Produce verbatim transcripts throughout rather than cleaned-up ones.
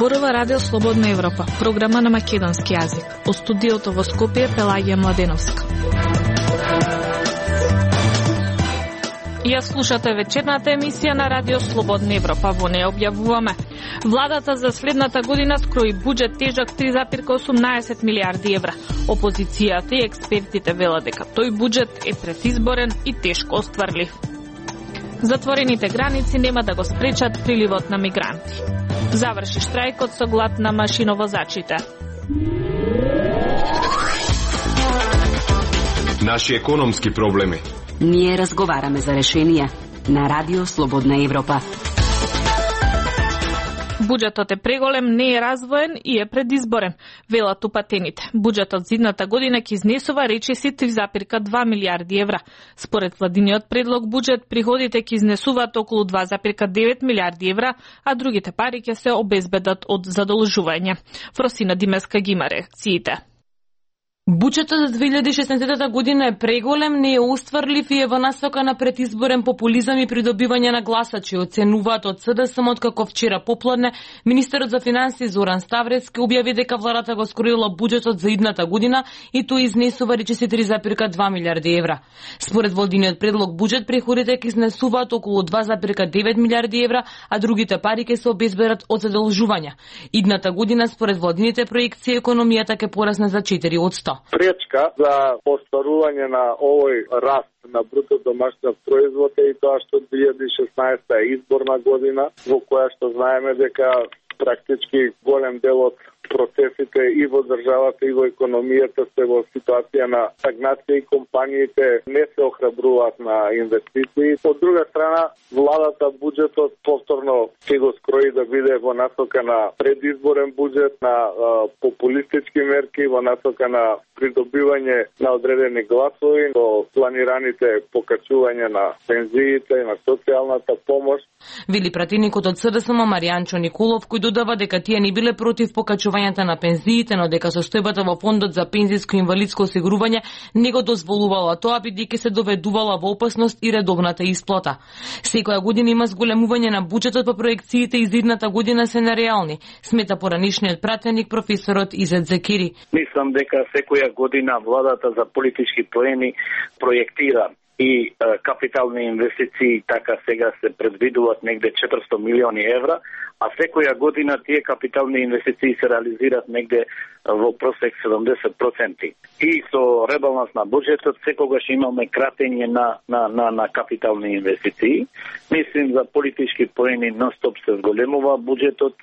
зборува Радио Слободна Европа, програма на македонски јазик. Од студиото во Скопје Пелагија Младеновска. Ја слушате вечерната емисија на Радио Слободна Европа. Во неја објавуваме: владата за следната година скрои буџет тежок три зарез осумнаесет милијарди евра. Опозицијата и експертите велат дека тој буџет е предизборен и тешко остварлив. Затворените граници нема да го спречат приливот на мигранти. Заврши штрајкот со глад на машиновозачите. Наши економски проблеми. Ние разговараме за решенија на Радио Слободна Европа. Буџетот е преголем, не е развоен и е предизборен, велат упатените. Буџетот за идната година ќе изнесува речиси три зарез два милијарди евра. Според владиниот предлог буџет, приходите ќе изнесуваат околу два зарез девет милијарди евра, а другите пари ќе се обезбедат од задолжување. Фросина Димеска ги има реакциите. Буџетот за две илјади и шеснаесетта година е преголем, не е остварлив и е во насока на предизборен популизам и придобивање на гласачи, оценуваат од СДСМ, откако вчера попладне министерот за финансии Зоран Ставревски објави дека владата го скроила буџетот за идната година и тој изнесува речиси три зарез два милијарди евра. Според владиниот предлог буџет, приходите ќе изнесуваат околу два зарез девет милијарди евра, а другите пари ќе се обезбедат од задолжувања. Идната година, според владините проекции, економијата ќе порасне за четири одсто. Пречка за остварување на овој раст на бруто домашниот производ е и тоа што две илјади и шеснаесетта е изборна година, во која што знаеме дека практички голем дел од процесите и во државата и во економијата се во ситуација на стагнација и компаниите не се охрабруваат на инвестиции. Од друга страна, владата буџетот повторно ќе го скрои да биде во насока на предизборен буџет, на а, популистички мерки, во насока на придобивање на одредени гласови, до планираните покачување на пензиите и на социјалната помош. Вели пратеникот од СДСМ Маријанчо Николов, кој додава дека тие не биле против покачувањето на пензиите, но дека состојбата во фондот за пензиско и инвалидско осигурување не го дозволувала тоа, бидејќи се доведувала во опасност и редовната исплата. Секоја година има зголемување на буџетот, по проекциите из идната година се нереални, смета поранишниот пратеник професорот Изет Зекири. Мислам дека секоја година владата за политички поени проектира и е, капитални инвестиции, така сега се предвидуваат негде четиристо милиони евра, а секоја година тие капитални инвестиции се реализираат негде во просек седумдесет проценти. И со ребаланс на буџетот секогаш имаме кратење на, на, на, на капитални инвестиции. Мислим за политички поени нон-стоп се зголемува буџетот.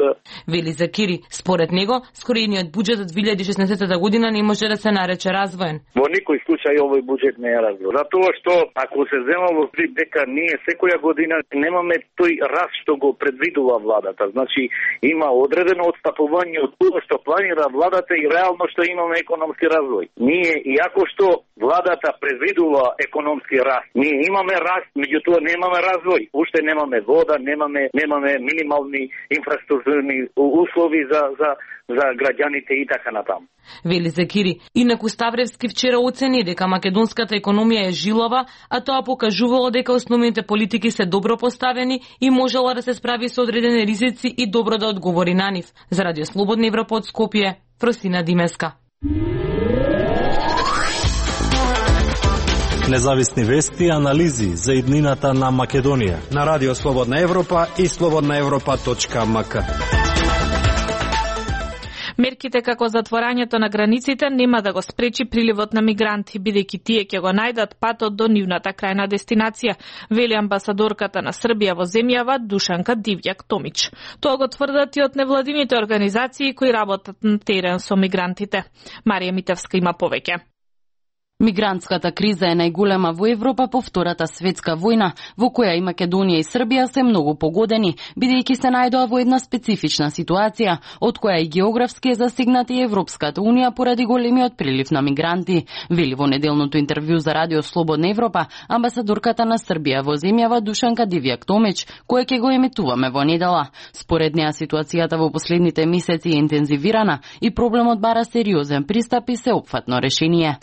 Вели Закири, според него, скроениот буџет од две илјади и шеснаесетта година не може да се нарече развоен. Во никој случај овој буџет не е развоен. Затоа што ако се зема во предвид дека ние секоја година немаме тој раст што го предвидува владата. Значи има одредено отстапување од тоа што планира владата и реално што имаме економски развој. Ние, иако што владата предвидува економски раст, ние имаме раст, меѓутоа немаме развој. Уште немаме вода, немаме немаме минимални инфраструктурни услови за за за граѓаните и така натаму. Вели Зекири. Инаку Ставревски вчера оцени дека македонската економија е жилава, а тоа покажувало дека основните политики се добро поставени и можела да се справи со одредени ризици и добро да одговори на нив. За Радио Слободна Европа од Скопје, Фросина Димеска. Независни вести и анализи за иднината на Македонија на Радио Слободна Европа и слободна европа точка ем ка. Мерките како затворањето на границите нема да го спречи приливот на мигранти, бидејќи тие ќе го најдат патот до нивната крајна дестинација, вели амбасадорката на Србија во земјава Душанка Дивјак Томич. Тоа го тврдат и од невладините организации кои работат на терен со мигрантите. Марија Митевска има повеќе. Мигрантската криза е најголема во Европа по Втората светска војна, во која и Македонија и Србија се многу погодени, бидејќи се најдоа во една специфична ситуација, од која и географски е засегната и Европската унија поради големиот прилив на мигранти, вели во неделното интервју за Радио Слободна Европа амбасадорката на Србија во земјава Душанка Дивјак Томич, која ќе го емитуваме во недела. Според неа ситуацијата во последните месеци е интензивирана и проблемот бара сериозен пристап и сеопфатно решение.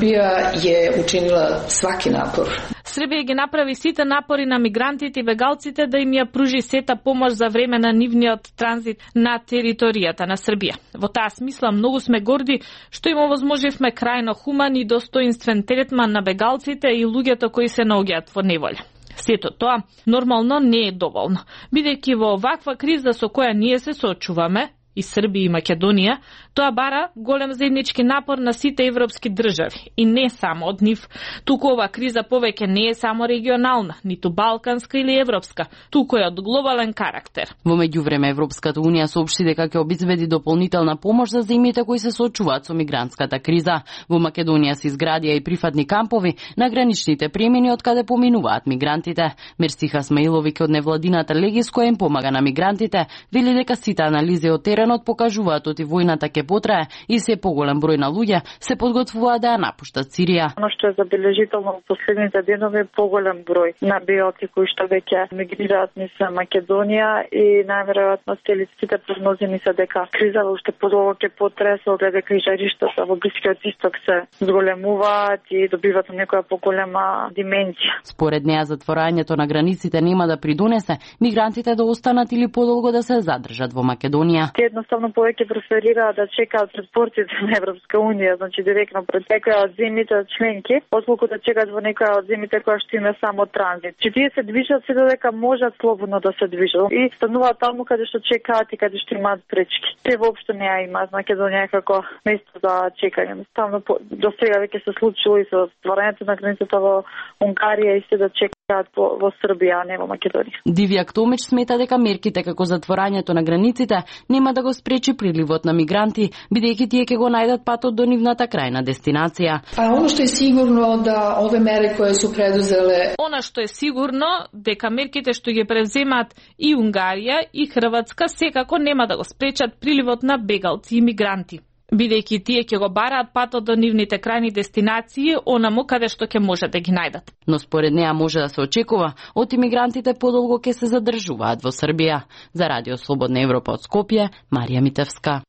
Србија je učinila svaki napor. Србија ги направи сите напори на мигрантите и бегалците да им ја пружи сета помош за време на нивниот транзит на територијата на Србија. Во таа смисла многу сме горди што им овозможивме крајно хуман и достоинствен третман на бегалците и луѓето кои се наоѓаат во неволја. Сето тоа нормално не е доволно, бидејќи во оваква криза со која ние се соочуваме, и Србија и Македонија, тоа бара голем заеднички напор на сите европски држави и не само од нив. Туку ова криза повеќе не е само регионална, ниту балканска или европска, туку е од глобален карактер. Во меѓувреме Европската унија соопшти дека ќе обезбеди дополнителна помош за земјите кои се соочуваат со мигрантската криза. Во Македонија се изградија и прифатни кампови на граничните премини од каде поминуваат мигрантите. Мерсиха Смаиловиќ од невладината Легис која им помага на мигрантите, вели дека сите анализи од теренот покажуваат оти војната ќе потрае и се поголем број на луѓе се подготвуваат да ја напуштат Сирија. Оно што е забележително во последните денови е поголем број на бегалци кои што веќе мигрираат низ Македонија и најверојатно сите прогнози ни се дека криза уште подолго ќе потрае со оглед дека и жариштата во Блискиот исток се зголемуваат и добиваат некоја поголема димензија. Според неа затворањето на границите нема да придонесе мигрантите да останат или подолго да се задржат во Македонија. Едноставно повеќе преферираат да чекаат пред портите на Европска унија, значи директно пред некоја од земјите членки, отколку да чекаат во некоја од земјите која што има само транзит. Че тие се движат се додека можат слободно да се движат и стануваат таму каде што чекаат и каде што имаат пречки. Те воопшто не ја имаат Македонија како место за чекање. Ставно до сега веќе се случило и со стварањето на границата во Унгарија и се да чекаат во, во Србија, а не во Македонија. Дивјак Томич смета дека мерките како затворањето на границите нема да го спречи приливот на мигранти, бидејќи тие ќе го најдат патот до нивната крајна дестинација. А оно што е сигурно да ове мери кои се предузеле. Она што е сигурно дека мерките што ги превземат и Унгарија и Хрватска секако нема да го спречат приливот на бегалци и мигранти, бидејќи тие ќе го бараат патот до нивните крајни дестинации, онаму каде што ќе може да ги најдат. Но според неа може да се очекува од имигрантите подолго ќе се задржуваат во Србија. За Радио Слободна Европа од Скопје, Марија Митевска.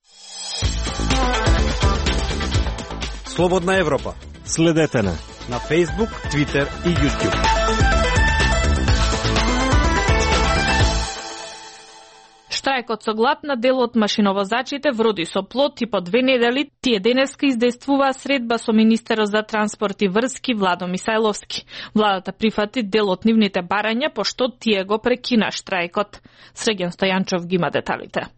Слободна Европа. Следете на на Facebook, Twitter и YouTube. Штрајкот со глад на дел од машиновозачите вроди со плод и по две недели тие денеска издействуваа средба со министерот за транспорт и врски Владо Мисајловски. Владата прифати дел од нивните барања, пошто тие го прекина штрајкот. Среген Стојанчов ги има деталите.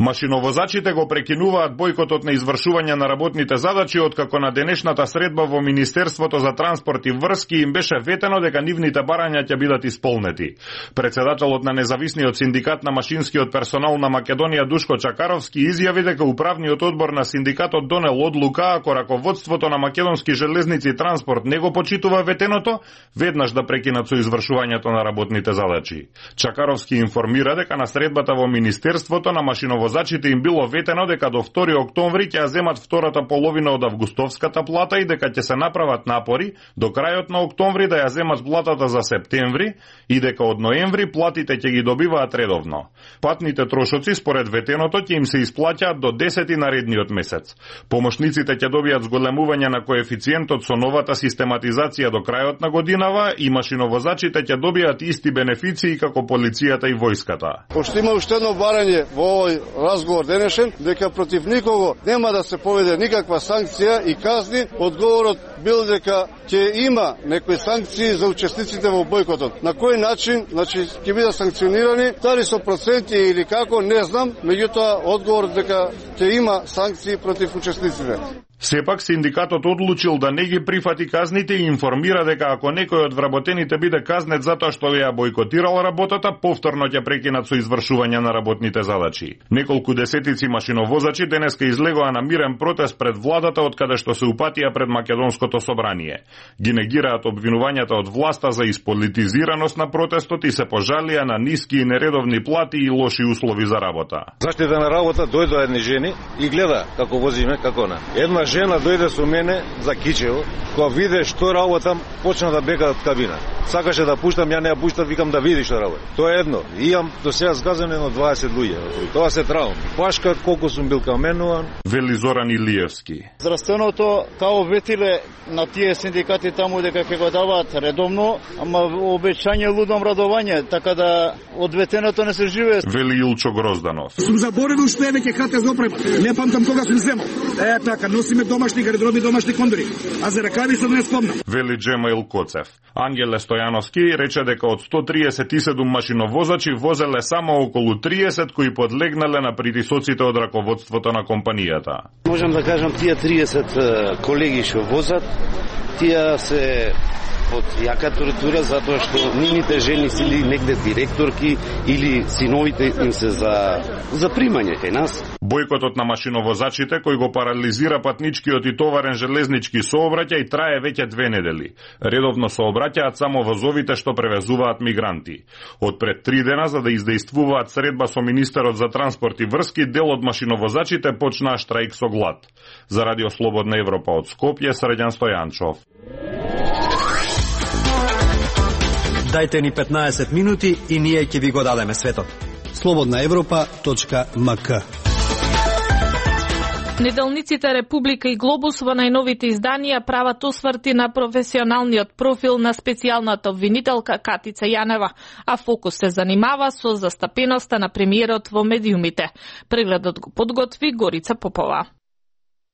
Машиновозачите го прекинуваат бојкотот на извршување на работните задачи откако на денешната средба во Министерството за транспорт и врски им беше ветено дека нивните барања ќе бидат исполнети. Председателот на независниот синдикат на машинскиот персонал на Македонија Душко Чакаровски изјави дека управниот одбор на синдикатот донел одлука ако раководството на Македонски железници и транспорт не го почитува ветеното, веднаш да прекинат со извршувањето на работните задачи. Чакаровски информира дека на средбата во Министерството на машиновозачите Возачите им било ветено дека до втори октомври ќе ја земат втората половина од августовската плата и дека ќе се направат напори до крајот на октомври да ја земат платата за септември и дека од ноември платите ќе ги добиваат редовно. Патните трошоци според ветеното ќе им се исплаќаат до десети наредниот месец. Помошниците ќе добијат зголемување на коефициентот со новата систематизација до крајот на годинава и машиновозачите ќе добијат исти бенефиции како полицијата и војската. Пошто има уште едно барање во овој разговор денешен, дека против никого нема да се поведе никаква санкција и казни. Одговорот бил дека ќе има некои санкции за учесниците во бојкотот. На кој начин, значи ќе бидат санкционирани, дали со проценти или како, не знам, меѓутоа одговорот дека ќе има санкции против учесниците. Сепак синдикатот одлучил да не ги прифати казните и информира дека ако некој од вработените биде казнет затоа што ја бојкотирал работата, повторно ќе прекинат со извршување на работните задачи. Неколку десетици машиновозачи денеска излегоа на мирен протест пред владата од каде што се упатија пред Македонското собрание. Ги негираат обвинувањата од власта за исполитизираност на протестот и се пожалија на ниски и нередовни плати и лоши услови за работа. Заштита на работа дојдоа едни жени и гледа како возиме, како на. Една жена дојде со мене за Кичево, кога виде што работам, почна да бега од кабина. Сакаше да пуштам, ја не ја пуштам, викам да види што работи. Тоа е едно. И имам до сега згазено едно дваесет луѓе. Тоа се траум. Башка колку сум бил каменуван. Вели Зоран Илиевски. Здравственото као ветиле на тие синдикати таму дека ќе го даваат редовно, ама обечање лудом радување, така да од ветеното не се живее. Вели Илчо Грозданов. Сум заборавил што е веќе хата за опрема. Не памтам кога сум земал. Е така, носиме домашни гардероби, домашни кондори. А за ракави се не спомнам. Вели Джемаил Коцев. Ангеле Стојановски рече дека од сто триесет и седум машиновозачи возеле само околу триесет кои подлегнале на притисоците од раководството на компанијата. Можам да кажам, тие триесет колеги што возат, тие се од јака тортура затоа што нивните жени си или негде директорки или синовите им се за за примање кај нас. Бојкотот на машиновозачите кој го парализира патничкиот и товарен железнички сообраќај трае веќе две недели. Редовно сообраќаат само возовите што превезуваат мигранти. Од пред три дена за да издејствуваат средба со министерот за транспорт и врски, дел од машиновозачите почнаа штрајк со глад. За Радио Слободна Европа од Скопје, Срđan Стојанчов. Дајте ни петнаесет минути и ние ќе ви го дадеме светот. слободна европа точка ем ка. Неделниците Република и Глобус во најновите изданија прават осврти на професионалниот профил на специјалната обвинителка Катица Јанева, а фокус се занимава со застапеноста на премиерот во медиумите. Прегледот го подготви Горица Попова.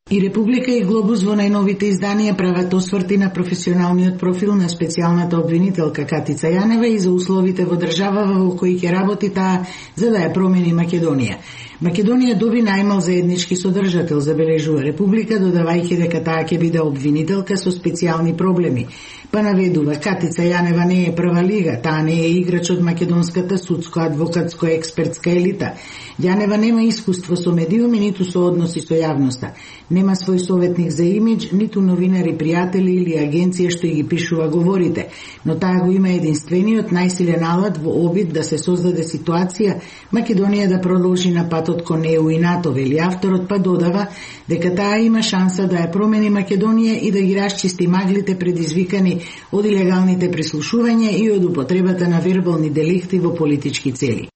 И Република и Глобус во најновите изданија прават осврти на професионалниот профил на специјалната обвинителка Катица Јанева и за условите во државава во кои ќе работи таа за да ја промени Македонија. Македонија доби најмал заеднички содржател, забележува Република, додавајќи дека таа ќе биде обвинителка со специјални проблеми. Па наведува, Катица Јанева не е прва лига, таа не е играч од македонската судско-адвокатско-експертска елита. Јанева нема искуство со медиуми, ниту со односи со јавноста. Нема свој советник за имидж, ниту новинари, пријатели или агенција што ги пишува говорите, но таа го има единствениот најсилен алат во обид да се создаде ситуација Македонија да продолжи на патот кон Е У и НАТО, вели авторот, па додава дека таа има шанса да ја промени Македонија и да ги расчисти маглите предизвикани од илегалните прислушувања и од употребата на вербални деликти во политички цели.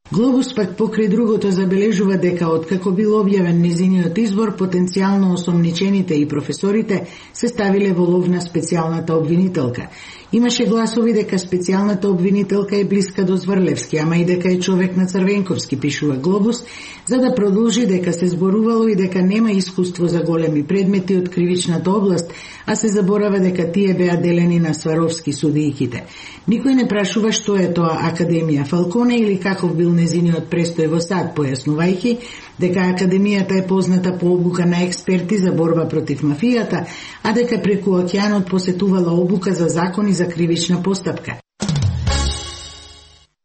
Глобус пак покрај другото забележува дека откако бил објавен незиниот избор, потенцијално осомничените и професорите се ставиле во лов на специјалната обвинителка. Имаше гласови дека специјалната обвинителка е блиска до Зврлевски, ама и дека е човек на Црвенковски, пишува Глобус, за да продолжи дека се зборувало и дека нема искуство за големи предмети од кривичната област, а се заборава дека тие беа делени на Сваровски судијките. Никој не прашува што е тоа Академија Фалконе или каков бил незиниот престој во САД, појаснувајќи дека Академијата е позната по обука на експерти за борба против мафијата, а дека преку океанот посетувала обука за закони за кривична постапка.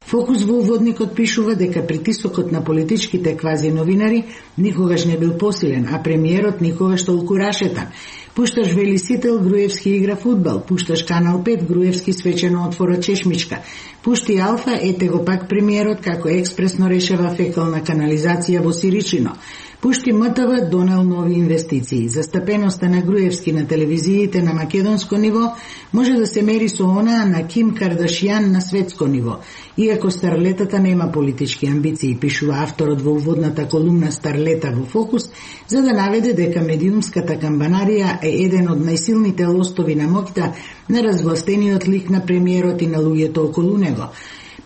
Фокус во уводникот пишува дека притисокот на политичките квази новинари никогаш не бил посилен, а премиерот никогаш толку рашетан. Пушташ Велисител, Груевски игра фудбал, пушташ Канал пет, Груевски свечено отвора чешмичка. Пушти Алфа, ете го пак премиерот како експресно решава фекална канализација во Сиричино. Пушти М Т В, донел нови инвестиции. Застапеноста на Груевски на телевизиите на македонско ниво може да се мери со онаа на Ким Кардашијан на светско ниво. Иако старлетата нема политички амбиции, пишува авторот во уводната колумна Старлета во Фокус, за да наведе дека медиумската камбанарија е еден од најсилните лостови на моќта на разгластениот лик на премиерот и на луѓето околу него.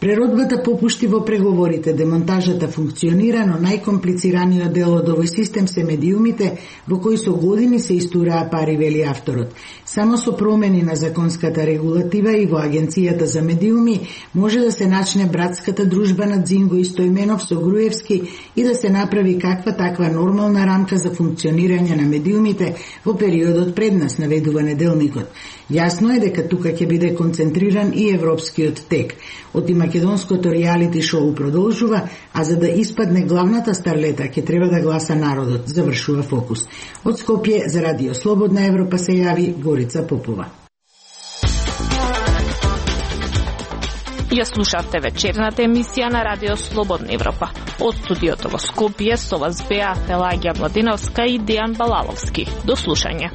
Преродбата попушти во преговорите, демонтажата функционира, но најкомплицираниот дел од овој систем се медиумите, во кои со години се истураа пари, вели авторот. Само со промени на законската регулатива и во Агенцијата за медиуми може да се начне братската дружба на Дзинго и Стојменов со Груевски и да се направи каква таква нормална рамка за функционирање на медиумите во периодот пред нас, наведува неделникот. Јасно е дека тука ќе биде концентриран и европскиот тек. Од македонското реалити шоу продолжува, а за да испадне главната старлета ќе треба да гласа народот, завршува Фокус. Од Скопје за Радио Слободна Европа се јави Горица Попова. Ја слушавте вечерната емисија на Радио Слободна Европа. Од студиото во Скопје со вас беа Пелагија Младиновска и Дејан Балаловски. До слушање.